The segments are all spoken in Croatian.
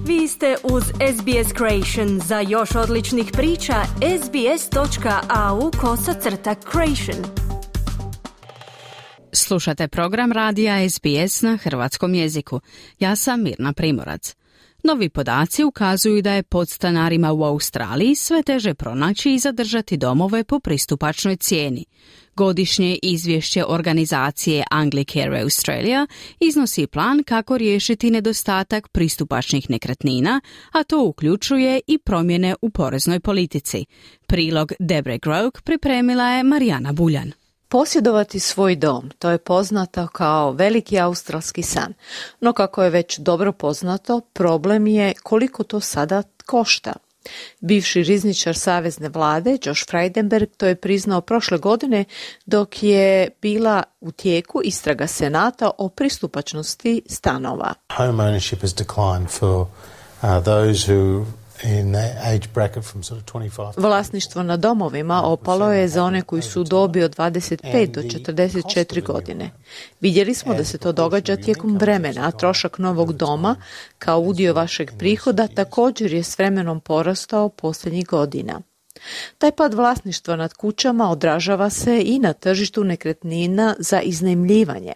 Vi ste uz SBS Creation. Za još odličnih priča, sbs.au/creation. Slušate program radija SBS na hrvatskom jeziku. Ja sam Mirna Primorac. Novi podaci ukazuju da je podstanarima u Australiji sve teže pronaći i zadržati domove po pristupačnoj cijeni. Godišnje izvješće organizacije Anglicare Australia iznosi plan kako riješiti nedostatak pristupačnih nekretnina, a to uključuje i promjene u poreznoj politici. Prilog Debre Groke pripremila je Marijana Buljan. Posjedovati svoj dom, to je poznato kao veliki australski san. No kako je već dobro poznato, problem je koliko to sada košta. Bivši rizničar savezne vlade, Josh Frydenberg, to je priznao prošle godine dok je bila u tijeku istraga Senata o pristupačnosti stanova. Home ownership has declined for those who in age bracket from sort of 25. Vlasništvo na domovima opalo je za one koji su u dobi od 25 do 44 godine. Vidjeli smo da se to događa tijekom vremena, a trošak novog doma kao udio vašeg prihoda također je s vremenom porastao posljednjih godina. Taj pad vlasništva nad kućama odražava se i na tržištu nekretnina za iznajmljivanje.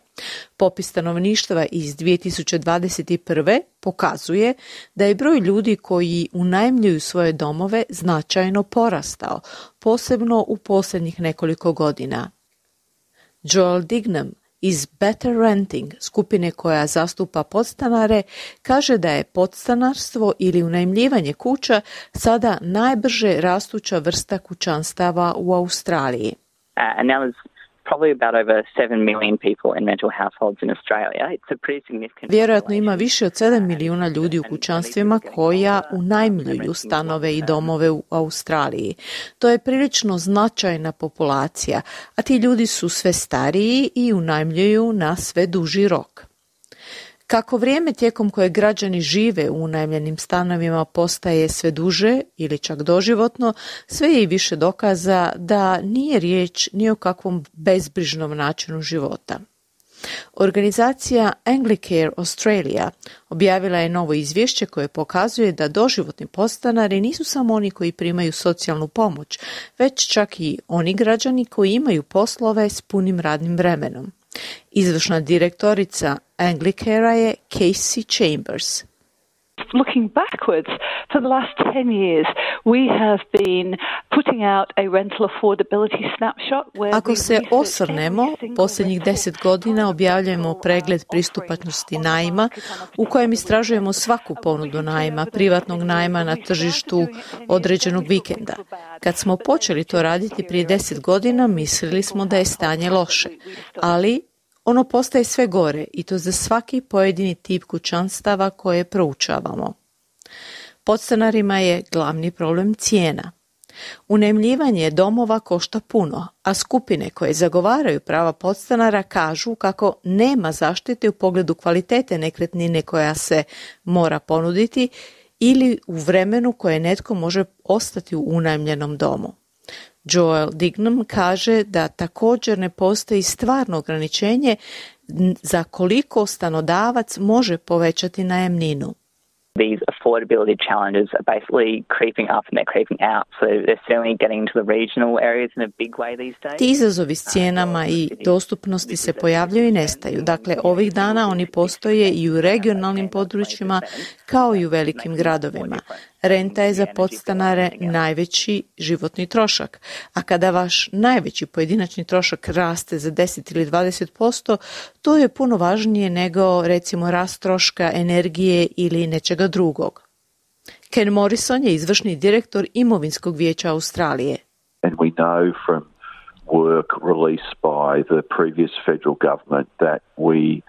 Popis stanovništva iz 2021. pokazuje da je broj ljudi koji unajmljuju svoje domove značajno porastao, posebno u posljednjih nekoliko godina. Joel Dignam iz Better Renting, skupine koja zastupa podstanare, kaže da je podstanarstvo ili unajmljivanje kuća sada najbrže rastuća vrsta kućanstava u Australiji. And now there's probably about over 7 million people in rental households in Australia. It's a pretty significant. Vjerojatno ima više od 7 milijuna ljudi u kućanstvima koja unajmljuju stanove i domove u Australiji. To je prilično značajna populacija, a ti ljudi su sve stariji i unajmljuju na sve duži rok. Kako vrijeme tijekom koje građani žive u unajmljenim stanovima postaje sve duže ili čak doživotno, sve je i više dokaza da nije riječ ni o kakvom bezbrižnom načinu života. Organizacija Anglicare Australia objavila je novo izvješće koje pokazuje da doživotni podstanari nisu samo oni koji primaju socijalnu pomoć, već čak i oni građani koji imaju poslove s punim radnim vremenom. Izvršna direktorica Anglicarea je Casey Chambers. Looking backwards, for the last 10 years, we have been putting out a rental affordability snapshot. Ako se osvrnemo, posljednjih 10 godina objavljujemo pregled pristupačnosti najma u kojem istražujemo svaku ponudu najma, privatnog najma na tržištu određenog vikenda. Kad smo počeli to raditi prije 10 godina, mislili smo da je stanje loše, ali ono postaje sve gore i to za svaki pojedini tip kućanstava koje proučavamo. Podstanarima je glavni problem cijena. Unajmljivanje domova košta puno, a skupine koje zagovaraju prava podstanara kažu kako nema zaštite u pogledu kvalitete nekretnine koja se mora ponuditi ili u vremenu koje netko može ostati u unajmljenom domu. Joel Dignam kaže da također ne postoji stvarno ograničenje za koliko stanodavac može povećati najamninu. These affordability challenges are basically creeping up and they're creeping out. So they're certainly getting into the regional areas in a big way these days. Ti izazovi s cijenama i dostupnosti se pojavljuju i nestaju. Dakle, ovih dana oni postoje i u regionalnim područjima kao i u velikim gradovima. Renta je za podstanare najveći životni trošak, a kada vaš najveći pojedinačni trošak raste za 10 ili 20%, to je puno važnije nego recimo rast troška energije ili nečega drugog. Ken Morrison je izvršni direktor Imovinskog vijeća Australije. And we know from work released by the previous federal government that we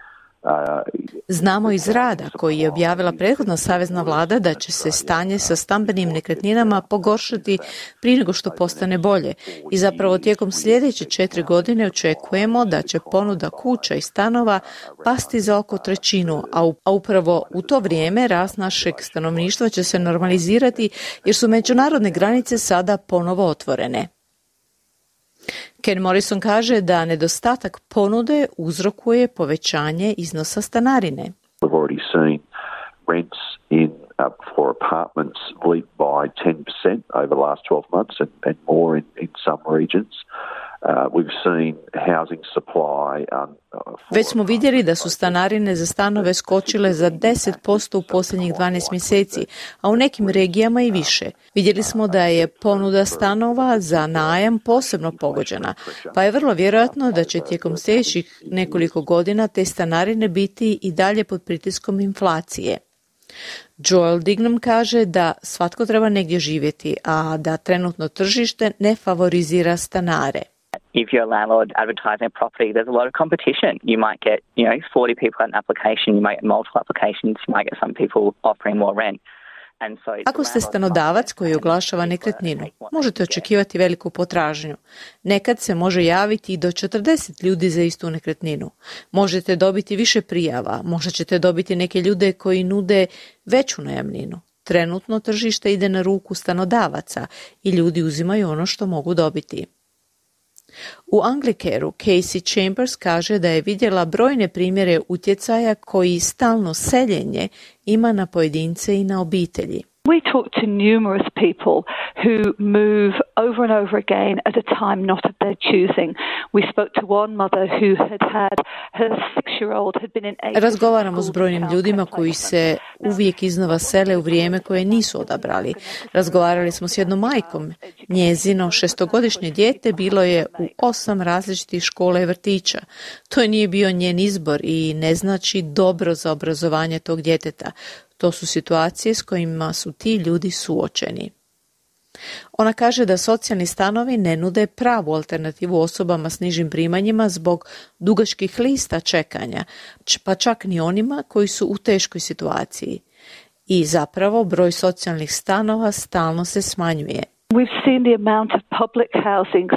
Znamo iz rada koji je objavila prethodna savezna vlada da će se stanje sa stambenim nekretninama pogoršati prije nego što postane bolje i zapravo tijekom sljedeće 4 godine očekujemo da će ponuda kuća i stanova pasti za oko 1/3, a upravo u to vrijeme rast našeg stanovništva će se normalizirati jer su međunarodne granice sada ponovo otvorene. Ken Morrison kaže da nedostatak ponude uzrokuje povećanje iznosa stanarine. We've already seen rents in for apartments leaped by 10% over the last 12 months and more in some regions. We've seen housing supply. Već smo vidjeli da su stanarine za stanove skočile za 10% u posljednjih 12 mjeseci, a u nekim regijama i više. Vidjeli smo da je ponuda stanova za najam posebno pogođena, pa je vrlo vjerojatno da će tijekom sljedećih nekoliko godina te stanarine biti i dalje pod pritiskom inflacije. Joel Dignam kaže da svatko treba negdje živjeti, a da trenutno tržište ne favorizira stanare. If you're a landlord advertising a property, there's a lot of competition. You might get, 40 people at an application, you might get multiple applications, you might get some people offering more rent. Ako ste stanodavac koji oglašava nekretninu, možete očekivati veliku potražnju. Nekad se može javiti i do 40 ljudi za istu nekretninu. Možete dobiti više prijava, možda ćete dobiti neke ljude koji nude veću najamninu. Trenutno tržište ide na ruku stanodavaca i ljudi uzimaju ono što mogu dobiti. U Anglicaru Casey Chambers kaže da je vidjela brojne primjere utjecaja koji stalno seljenje ima na pojedince i na obitelji. We talk to numerous people who move over and over again at a time not of their choosing. We spoke to one mother who had her 6-year-old had been in 8. Razgovaramo s brojnim ljudima koji se uvijek iznova sele u vrijeme koje nisu odabrali. Razgovarali smo s jednom majkom. Njezino 6-godišnje dijete bilo je u 8 različitih škola i vrtića. To nije bio njen izbor i ne znači dobro za obrazovanje tog djeteta. To su situacije s kojima su ti ljudi suočeni. Ona kaže da socijalni stanovi ne nude pravu alternativu osobama s nižim primanjima zbog dugačkih lista čekanja, pa čak ni onima koji su u teškoj situaciji. I zapravo broj socijalnih stanova stalno se smanjuje. We've seen the amount of public housing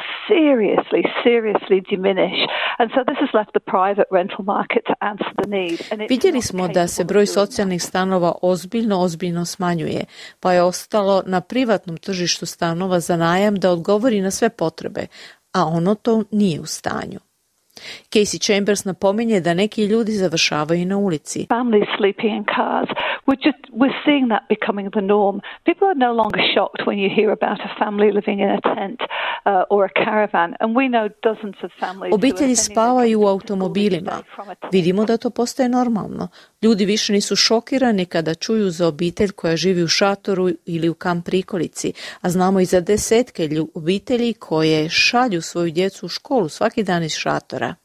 seriously diminish, and so this has left the private rental market to answer the need. Vidjeli smo da se broj socijalnih stanova ozbiljno smanjuje, pa je ostalo na privatnom tržištu stanova za najam da odgovori na sve potrebe, a ono to nije u stanju. Casey Chambers napominje da neki ljudi završavaju na ulici. Families sleeping in cars. We're seeing that becoming the norm. People are no longer shocked when you hear about a family living in a tent or a caravan, and we know dozens of families. Obitelji spavaju u automobilima. Vidimo da to postaje normalno. Ljudi više nisu šokirani kada čuju za obitelj koja živi u šatoru ili u kamp prikolici, a znamo i za desetke obitelji koje šalju svoju djecu u školu svaki dan iz šatora.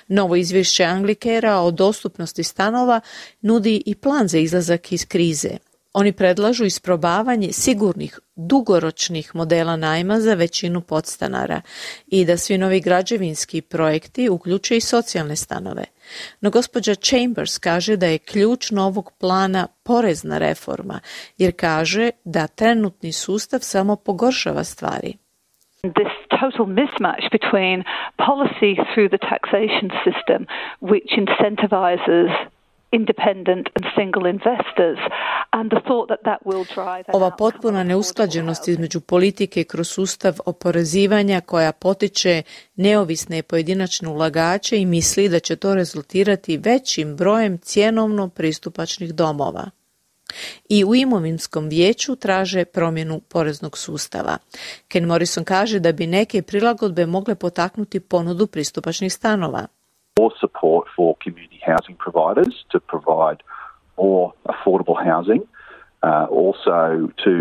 Novo izvješće Anglicara o dostupnosti stanova nudi i plan za izlazak iz krize. Oni predlažu isprobavanje sigurnih, dugoročnih modela najma za većinu podstanara i da svi novi građevinski projekti uključuju i socijalne stanove. No gospođa Chambers kaže da je ključ novog plana porezna reforma, jer kaže da trenutni sustav samo pogoršava stvari. This total mismatch between policy through the taxation system, which incentivizes independent and single investors, and the thought that will drive. Ova potpuna neusklađenost između politike kroz sustav oporezivanja koja potiče neovisne pojedinačne ulagače i misli da će to rezultirati većim brojem cjenovno pristupačnih domova. I u imovinskom vijeću traže promjenu poreznog sustava. Ken Morrison kaže da bi neke prilagodbe mogle potaknuti ponudu pristupačnih stanova. More support for community housing providers to provide more affordable housing, also to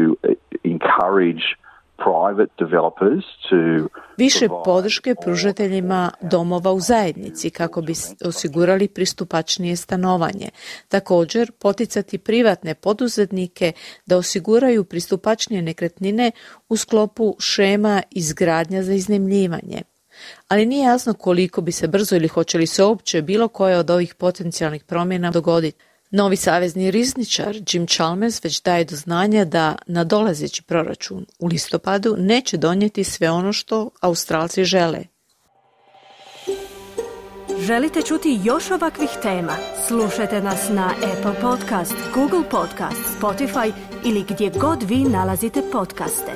encourage private developers to više podrške pružateljima domova u zajednici kako bi osigurali pristupačnije stanovanje. Također, poticati privatne poduzetnike da osiguraju pristupačnije nekretnine u sklopu šema izgradnja za iznajmljivanje. Ali nije jasno koliko bi se brzo ili hoće li se uopće bilo koje od ovih potencijalnih promjena dogoditi. Novi savezni rizničar Jim Chalmers već daje do znanja da nadolazeći proračun u listopadu neće donijeti sve ono što Australci žele. Želite čuti još ovakvih tema? Slušajte nas na Apple Podcast, Google Podcast, Spotify ili gdje god vi nalazite podcaste.